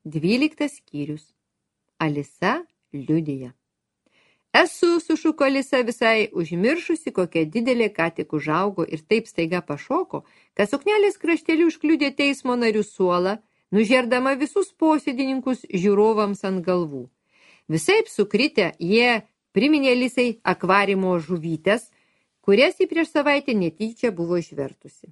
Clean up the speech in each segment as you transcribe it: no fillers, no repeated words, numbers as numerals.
12 skyrius. Alisa liudija. Esu, sušuko Alisa, visai užmiršusi, kokia didelė ką tik užaugo ir taip staiga pašoko, kad suknelės krašteliu užkliudė teismo narių suolą, nužerdama visus posėdininkus žiūrovams ant galvų. Visaip sukritę, jie priminė Alisai akvarimo žuvytės, kurias ji prieš savaitę netyčia buvo išvertusi.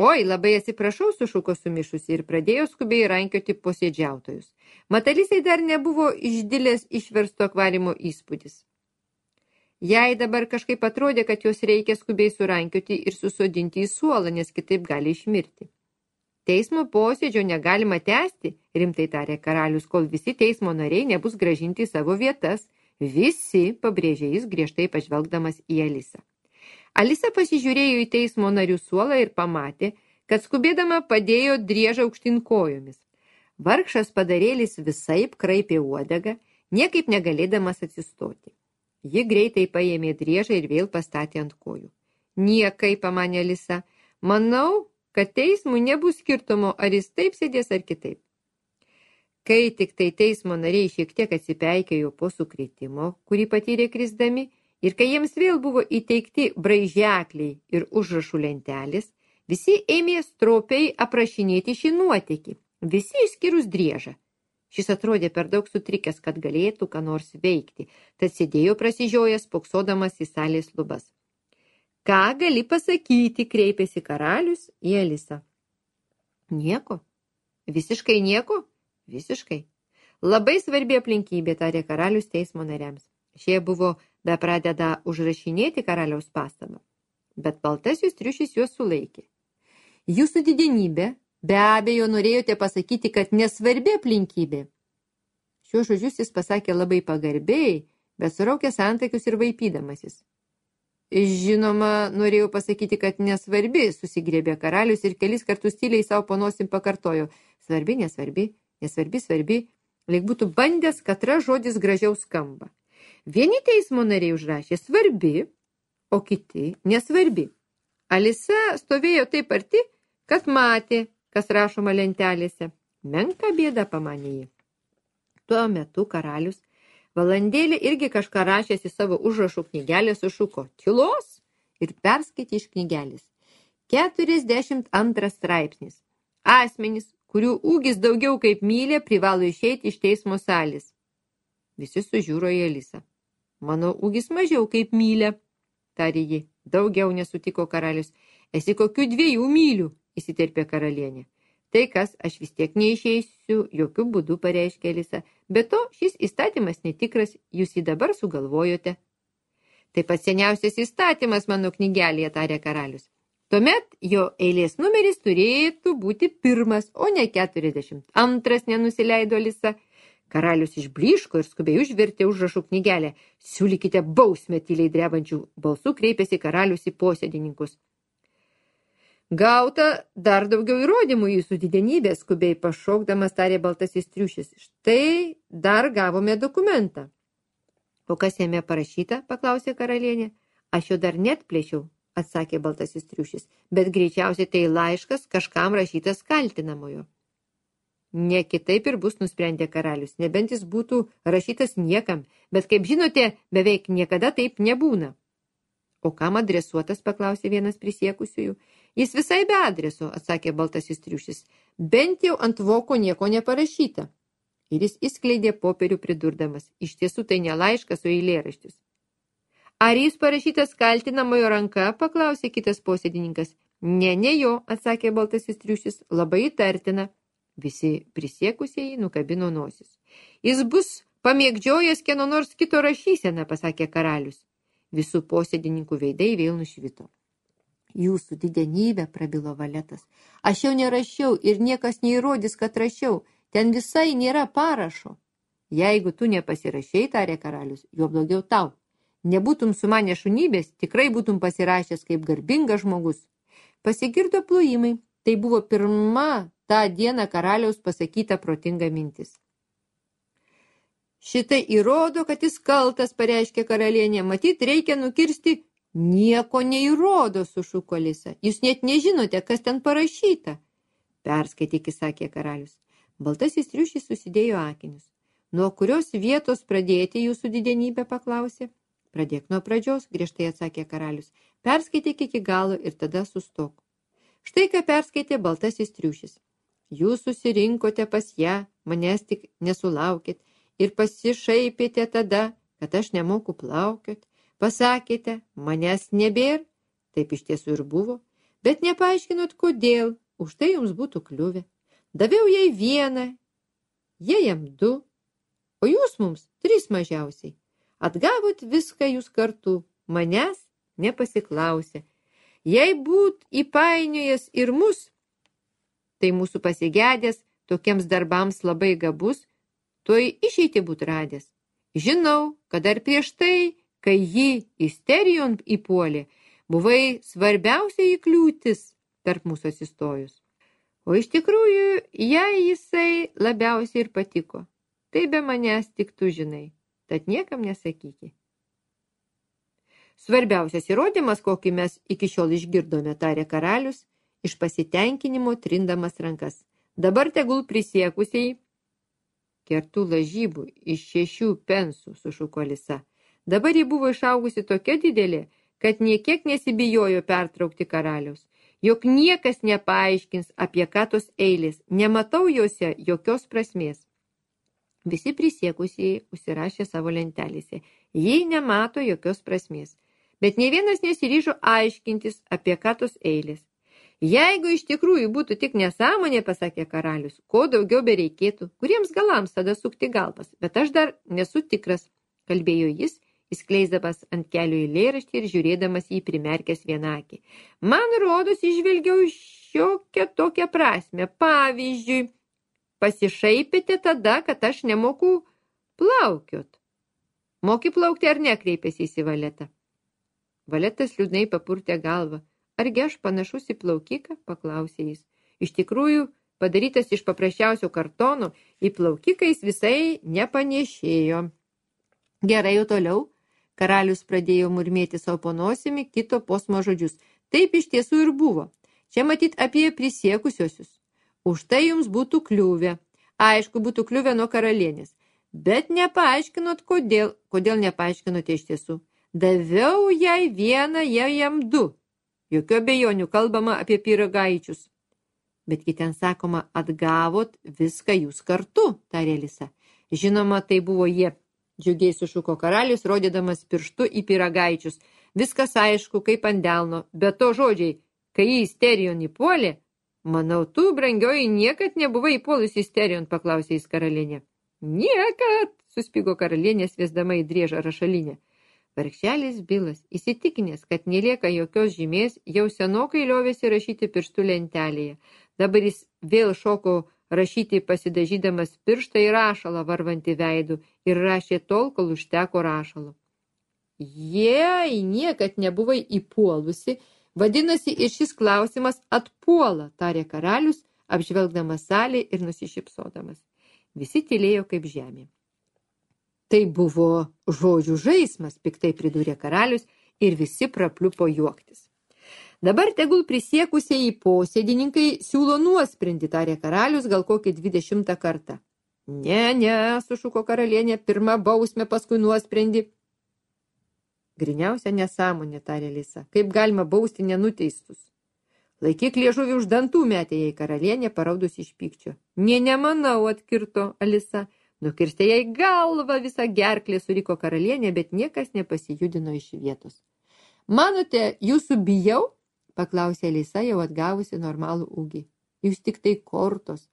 Oi, labai atsiprašau, sušuko sumišusi ir pradėjo skubiai rankioti posėdžiautojus. Mat Alisai dar nebuvo išdilęs išversto akvarimo įspūdis. Jai dabar kažkaip atrodė, kad jos reikia skubiai surankioti ir susodinti į suolą, nes kitaip gali išmirti. Teismo posėdžio negalima tęsti, rimtai tarė karalius, kol visi teismo nariai nebus grąžinti į savo vietas. Visi, pabrėžė jis, griežtai pažvelgdamas į Alisą. Alisa pasižiūrėjo į teismo narių suolą ir pamatė, kad skubėdama padėjo driežą aukštyn kojomis. Vargšas padarėlis visaip kraipė uodegą, niekaip negalėdamas atsistoti. Ji greitai paėmė driežą ir vėl pastatė ant kojų. Niekai, pamanė Alisa, manau, kad teismui nebus skirtumo, ar jis taip sėdės ar kitaip. Kai tik tai teismo nariai šiek tiek atsipeikėjo po sukrėtimo, kurį patyrė krisdami, ir kai jiems vėl buvo įteikti braižekliai ir užrašų lentelės, visi ėmė stropiai aprašinėti šį nuotykį, visi išskyrus driežą. Šis atrodė per daug sutrikęs, kad galėtų ką nors veikti, tad sėdėjo prasižiojęs, spoksodamas į salės lubas. Ką gali pasakyti, kreipėsi karalius į Alisą. Nieko. Visiškai nieko? Visiškai. Labai svarbi aplinkybė, tarė karalius teismo nariams. Šie buvo be pradeda užrašinėti karaliaus pastabą, bet baltasis triušis juos sulaikė. Jūsų didenybė, be abejo, norėjote pasakyti, kad nesvarbi aplinkybė. Šiuos žodžius jis pasakė labai pagarbiai, bet suraukė antakius ir vaipydamasis. Žinoma, norėjau pasakyti, kad nesvarbi, susigriebė karalius ir kelis kartus tyliai savo panosim pakartojo. Svarbi, nesvarbi, nesvarbi, svarbi, lyg būtų bandęs, katras žodis gražiau skamba. Vieni teismo nariai užrašė svarbi, o kiti nesvarbi. Alisa stovėjo taip arti, kad matė, kas rašoma lentelėse. Menka bėda, pamanė ji. Tuo metu karalius valandėlį irgi kažką rašęs į savo užrašų knygelę sušuko tylos ir perskaitė iš knygelės. 42 straipsnis. Asmenys, kurių ūgis daugiau kaip mylė, privalo išeiti iš teismo salės. Visi sužiūro į Alisą. Mano ūgis mažiau kaip mylė, tarė ji. Daugiau nesutiko karalius. Esi kokių 2 mylių, įsiterpė karalienė. Tai kas, aš vis tiek neišeisiu, jokių būdų, pareiškė Alisa. Be to, šis įstatymas netikras, jūs jį dabar sugalvojote. Taip pat seniausias įstatymas mano knygelėje, tarė karalius. Tuomet jo eilės numeris turėtų būti 1, o ne 42, nenusileido Alisa. Karalius išblyško ir skubiai užvertė užrašų knygelę. Siūlykite bausmę, tyliai drebančių balsų kreipėsi karalius į posėdininkus. Gauta dar daugiau įrodymų jūsų didenybė, skubiai pašaukdamas tarė baltasis triušis. Štai dar gavome dokumentą. O kas jame parašyta, paklausė karalienė. Aš jo dar net plėšiau, atsakė baltasis triušis, bet greičiausiai tai laiškas kažkam rašytas kaltinamojo. Ne kitaip ir bus, nusprendė karalius, nebent jis būtų rašytas niekam, bet kaip žinote, beveik niekada taip nebūna. O kam adresuotas, paklausė vienas prisiekusiųjų. Jis visai be adreso, atsakė baltasis triušis, bent jau ant voko nieko neparašyta. Ir jis išskleidė popierių pridurdamas, iš tiesų tai ne laiškas, o eilėraštis. Ar jis parašytas kaltinamojo ranka, paklausė kitas posėdininkas. Ne jo, atsakė baltasis triušis, labai įtartina. Visi prisiekusieji nukabino nosis. Jis bus pamėgdžiojęs kieno nors kito rašyseną, pasakė karalius. Visų posėdininkų veidai vėl nušvito. Jūsų didenybė, prabilo Valetas. Aš jau nerašiau ir niekas neįrodys, kad rašiau. Ten visai nėra parašo. Jeigu tu nepasirašei, tarė karalius, jo blogiau tau. Nebūtum sumanę šunybės, tikrai būtum pasirašęs kaip garbingas žmogus. Pasigirdo plojimai. Tai buvo pirma tą dieną karaliaus pasakyta protinga mintis. Šitai įrodo, kad jis kaltas, pareiškė karalienė. Matyt, reikia nukirsti. Nieko neįrodo, sušuko Alisa. Jūs net nežinote, kas ten parašyta. Perskaityk, sakė karalius. Baltasis triušis susidėjo akinius. Nuo kurios vietos pradėti, jūsų didenybė, paklausė. Pradėk nuo pradžios, griežtai atsakė karalius. Perskaityk iki galo ir tada sustok. Štai ką perskaitė Baltasis triušis. Jūs susirinkote pas ją, manęs tik nesulaukėt ir pasišaipėte tada, kad aš nemoku plaukiot. Pasakėte, manęs nebėr, taip iš tiesų ir buvo, bet nepaaiškinot kodėl, už tai jums būtų kliuvę. Daviau jai 1, jie jam 2, o jūs mums 3 mažiausiai. Atgavot viską jūs kartu, manęs nepasiklausė. Jei būt įpainiojęs ir mus, tai mūsų pasigedęs tokiems darbams labai gabus, tuoj išeiti būt radęs. Žinau, kad dar prieš tai, kai ji isterijon įpuolė, buvai svarbiausiai kliūtis tarp mūsų atsistojus. O iš tikrųjų, jai jisai labiausiai ir patiko. Tai be manęs tik tu žinai, tad niekam nesakyki. Svarbiausias įrodymas, kokį mes iki šiol išgirdome, tarė karalius, iš pasitenkinimo trindamas rankas. Dabar tegul prisiekusiai kertų lažybų iš 6 pensų, sušuko Alisa. Dabar ji buvo išaugusi tokia didelė, kad niekiek nesibijojo pertraukti karaliaus. Jok niekas nepaaiškins, apie ką tos eilės, nematau jose jokios prasmės. Visi prisiekusieji užsirašė savo lentelėse. Jie nemato jokios prasmės. Bet ne vienas nesiryžo aiškintis, apie ką tos eilės. Jeigu iš tikrųjų būtų tik nesąmonė, pasakė karalius, ko daugiau bereikėtų, kuriems galams tada sukti galvas, bet aš dar nesu tikras, kalbėjo jis, įskleisdamas ant kelių eilėraštį ir žiūrėdamas jį primerkęs vieną akį. Man rodos, įžvelgiau šiokią tokią prasmę. Pavyzdžiui, pasišaipėte tada, kad aš nemoku plaukiot. Moki plaukti ar nekreipėsi į Valetą? Valetas liūdnai papurtė galvą. Argi aš panašus į plaukiką, paklausė jis. Iš tikrųjų, padarytas iš paprasčiausio kartono, į plaukiką jis visai nepanešėjo. Gerai, jau toliau. Karalius pradėjo murmėti savo po nosimi kito posmo žodžius. Taip iš tiesų ir buvo. Čia matyt apie prisiekusiosius. Už tai jums būtų kliuvę. Aišku, būtų kliuvę nuo karalienės. Bet nepaaiškinot, kodėl. Kodėl nepaaiškinote iš tiesų? Daviau jai 1, jai jam 2. Jokių abejonių kalbama apie pyragaičius. Betgi ten sakoma, atgavot viską jūs kartu, tarė Alisa. Žinoma, tai buvo jie. Džiugiai sušuko karalius, rodydamas pirštu į pyragaičius. Viskas aišku, kaip ant delno. Bet to žodžiai, kai jį isterijon įpuolė, manau, tu, brangioji, niekad nebuvai įpuolusi isterijon, paklausė jis karalienė. Niekad, suspigo karalienė, sviesdama į driežą rašalinę. Vargšelis Bilas, įsitikinęs, kad nelieka jokios žymės, jau senokai liovėsi rašyti pirštų lentelėje. Dabar jis vėl šoko rašyti pasidažydamas pirštą į rašalą varvantį veidų ir rašė tol, kol užteko rašalo. Jei niekad nebuvai įpuolusi, vadinasi ir šis klausimas atpuola, tarė karalius, apžvelgdamas salę ir nusišypsodamas. Visi tylėjo kaip žemė. Tai buvo žodžių žaismas, piktai pridūrė karalius ir visi prapliupo juoktis. Dabar tegul prisiekusieji posėdininkai siūlo nuosprendį, tarė karalius gal kokį 20 kartą. Ne, sušuko karalienė, pirma bausmė, paskui nuosprendį. Griniausia nesąmonė, tarė Alisa, kaip galima bausti nenuteistus. Laikyk liežuvį už dantų, metė jai karalienė, paraudusi iš pykčio. Nemanau, atkirto Alisa. Nukirstė jai galvą, visą gerklę, suriko karalienė, bet niekas nepasijudino iš vietos. Manote, jūsų bijau? Paklausė Alisa, jau atgavusi normalų ūgį. Jūs tik tai kortos.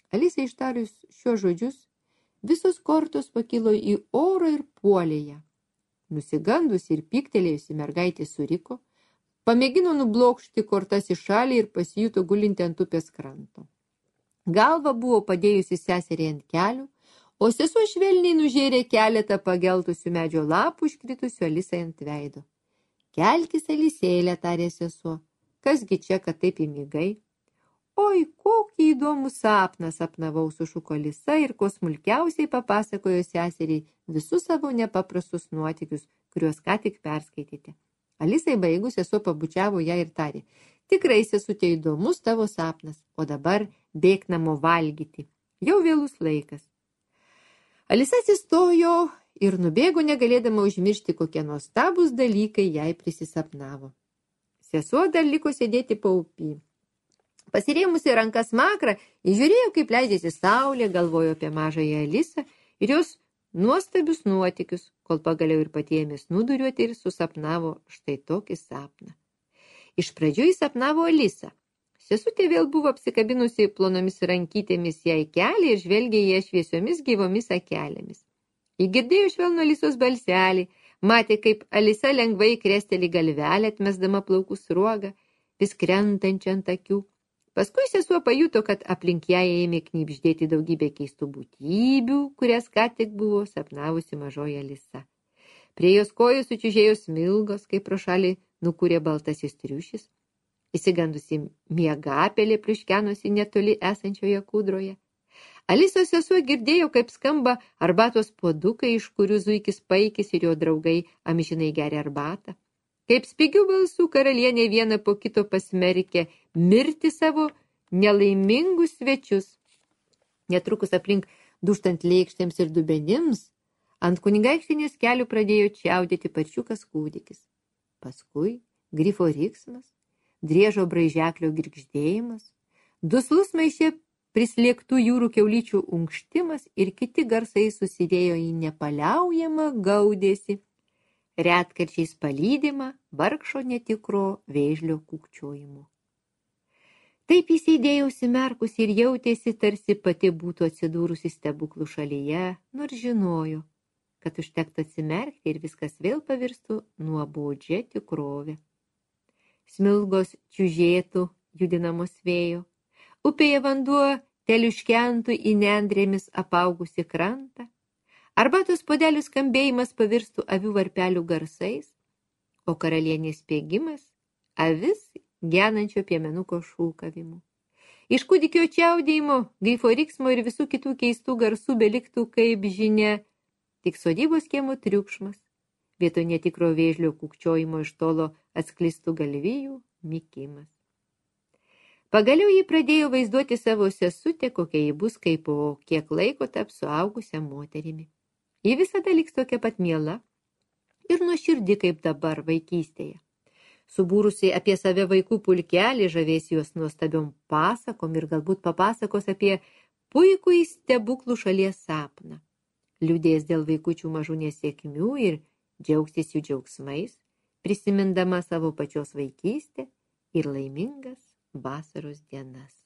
Alisa ištarius šiuos žodžius, visos kortos pakilo į orą ir puolė ją. Nusigandusi ir pyktelėjusi mergaitė suriko, pamėgino nublokšti kortas į šalį ir pasijuto gulinti ant upės kranto. Galva buvo padėjusi seseriai ant kelių, o sesuo švelniai nužėrė keletą pageltusių medžio lapų iškritusių Alisai ant veido. Kelkis, Alisėlė, tarė sesuo. Kasgi čia, kad taip įmigai? Oi, kokį įdomų sapną sapnavau, sušuko Alisa ir ko smulkiausiai papasakojo seseriai visus savo nepaprastus nuotykius, kuriuos ką tik perskaitėte. Alisai baigus sesuo pabučiavo ją ir tarė. Tikrai, sesutė, įdomus tavo sapnas, o dabar bėk namo valgyti. Jau vėlus laikas. Alisa atsistojo ir nubėgo negalėdama užmiršti, kokie nuostabūs dalykai jai prisisapnavo. Sesuo dar liko sėdėti paupy. Pasirėmusi rankas makrą, įžiūrėjo, kaip leidžiasi saulė, galvojo apie mažąją Alisą ir jos nuostabius nuotykius, kol pagaliau ir pati ėmė snūduriuoti ir susapnavo štai tokį sapną. Iš pradžių jis sapnavo Alisą. Sesutė vėl buvo apsikabinusi plonomis rankytėmis jai kelią ir žvelgė ją šviesiomis gyvomis akelėmis. Ji girdėjo švelnų Alisos balselį, matė, kaip Alisa lengvai kresteli galvelę, atmesdama plaukų sruogą, vis krentančią ant akių. Paskui sesuo pajuto, kad aplink ją ėmė knibždėti daugybė keistų būtybių, kurias ką tik buvo sapnavusi mažoji Alisa. Prie jos kojų sučiužėjo smilgos, kaip pro šalį nukūrė baltasis triušis. Įsigandusi miegapelė pliuškenosi netoli esančioje kūdroje. Alisos sesuo girdėjo, kaip skamba arbatos puodukai, iš kurių zuikis Paikis ir jo draugai amžinai geria arbatą. Kaip spigių balsų karalienė vieną po kito pasmerkė mirti savo nelaimingus svečius. Netrukus aplink dūžtant lėkštėms ir dubenims, ant kunigaikštienės kelių pradėjo čiaudėti paršiukas kūdikis. Paskui grifo riksmas, driežo braižeklio girgždėjimas, duslus maiše prislėgtų jūrų kiaulyčių unkštimas ir kiti garsai susidėjo į nepaliaujamą gaudesį, retkarčiais palydimą vargšo netikro vėžlio kūkčiojimo. Taip jis sėdėjo užsimerkusi ir jautėsi, tarsi pati būtų atsidūrusi stebuklų šalyje, nors žinojo, kad užtektų atsimerkti ir viskas vėl pavirstų nuobodžia tikrovė. Smilgos čiužėtų judinamos vėjo, upėje vanduo teliuškentų į nendrėmis apaugusi krantą, arbatos puodelių skambėjimas pavirstų avių varpelių garsais, o karalienės spiegimas avis genančio piemenuko šūkavimu. Iš kūdikio čiaudėjimo, grifo riksmo ir visų kitų keistų garsų beliktų, kaip žinia, tik sodybos kiemo triukšmas. Vietoj netikro vėžlio kūkčiojimo iš tolo atsklistų galvijų mykimas. Pagaliau ji pradėjo vaizduoti savo sesutę, kokia ji bus, kai po kiek laiko taps suaugusią moterimi. Ji visada liks tokia pat miela ir nuoširdi kaip dabar vaikystėje. Subūrusi apie save vaikų pulkelį, žavės juos nuostabiom pasakom ir galbūt papasakos apie puikų stebuklų šalies sapną. Liūdės dėl vaikučių mažų nesėkmių ir džiaugsis jų džiaugsmais, prisimindama savo pačios vaikystę ir laimingas vasaros dienas.